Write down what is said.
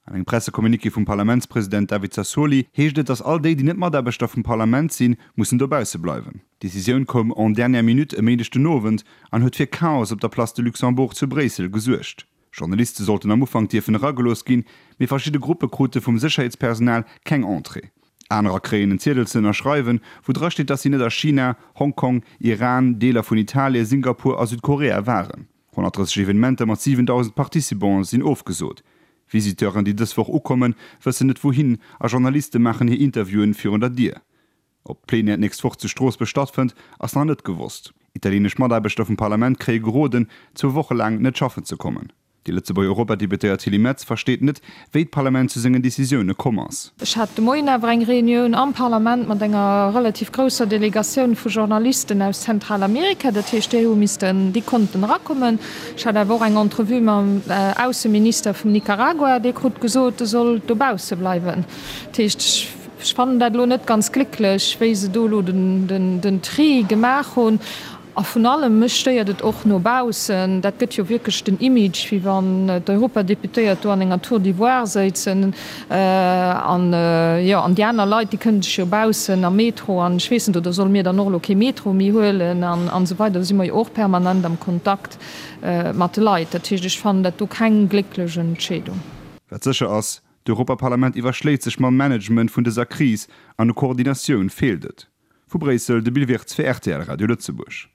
An engem Pressecommuniqué vum Parlamentspresident David Sassoli heescht et, datt all déi, déi net Mataarbechter vum Parlament sinn, mussen dobausse bleiwen. D'Decisioun koum en dernière minute e Méindeg den Owend an huet fir Chaos op der Place de Luxembourg zu Bréissel gesuergt. Journaliste sollten am Ufank dierfen eragelooss ginn, mee verschidde Gruppe krute vum Sécherheetspersonal keng Entrée. Anerer kréien en Ziedel ze ënnerschreiwen, wou dra steet, datt si net a China, Hongkong, Iran, Deeler vun Italien, Singapur a Südkorea waren. 130 Evenementer mat 7.000 Participante sinn ofgesot. Visiteuren, déi dës Woch ukommen, wëssen net wouhin a Journaliste maachen hir Interviewen virun der Dier. Ob d'Plenière d'nächst Woch zu Stroossbuerg stattfënnt, ass nach net gewosst. Italienesch Mataarbechter vum Parlament kréie geroden, zwou Woche laang net schaffen ze kommen. Déi Lëtzebuerger Europadeputéiert Tilly Metz versteet net, wéi d'Parlament zu sengen Decisioune komm ass. Ech hat de Moien awer eng Reunioun am Parlament mat enger relativ grousser Delegatioun vu Journalisten aus Zentralamerika. Dat heescht, déi hu missten, déi konnten erakommen. Ech hat awer och eng Entrevue mam Ausseminister vum Nicaragua, dee krut gesot, e soll dobausse bleiwen. Dat heescht, ech fannen dat elo net ganz glécklech, wéi se do elo den Tri gemaach hunn. A vun allem, mech stéiert et och no baussen, dat gëtt jo wierklech den Image, wéi wann d'Europadeputéiert do an enger Tour d'ivoire séizen an, jo, an déi aner Leit, déi kënnen sech jo baussen am Metro an ech weess net, oder solle mir dann och elo kee Metro méi huelen an esou weider. Do si mer jo och permanent am Kontakt mat de Leit. Dat heescht, ech fannen dat do keng glécklech Entscheedung. Wat sécher ass, D'Europaparlament iwwerschléit sech mam Management vun dëser Kris an u Koordinatioun feelt et. Vu Bréissel, de Bill Wirtz fir rtl Radio Lëtzebuerg.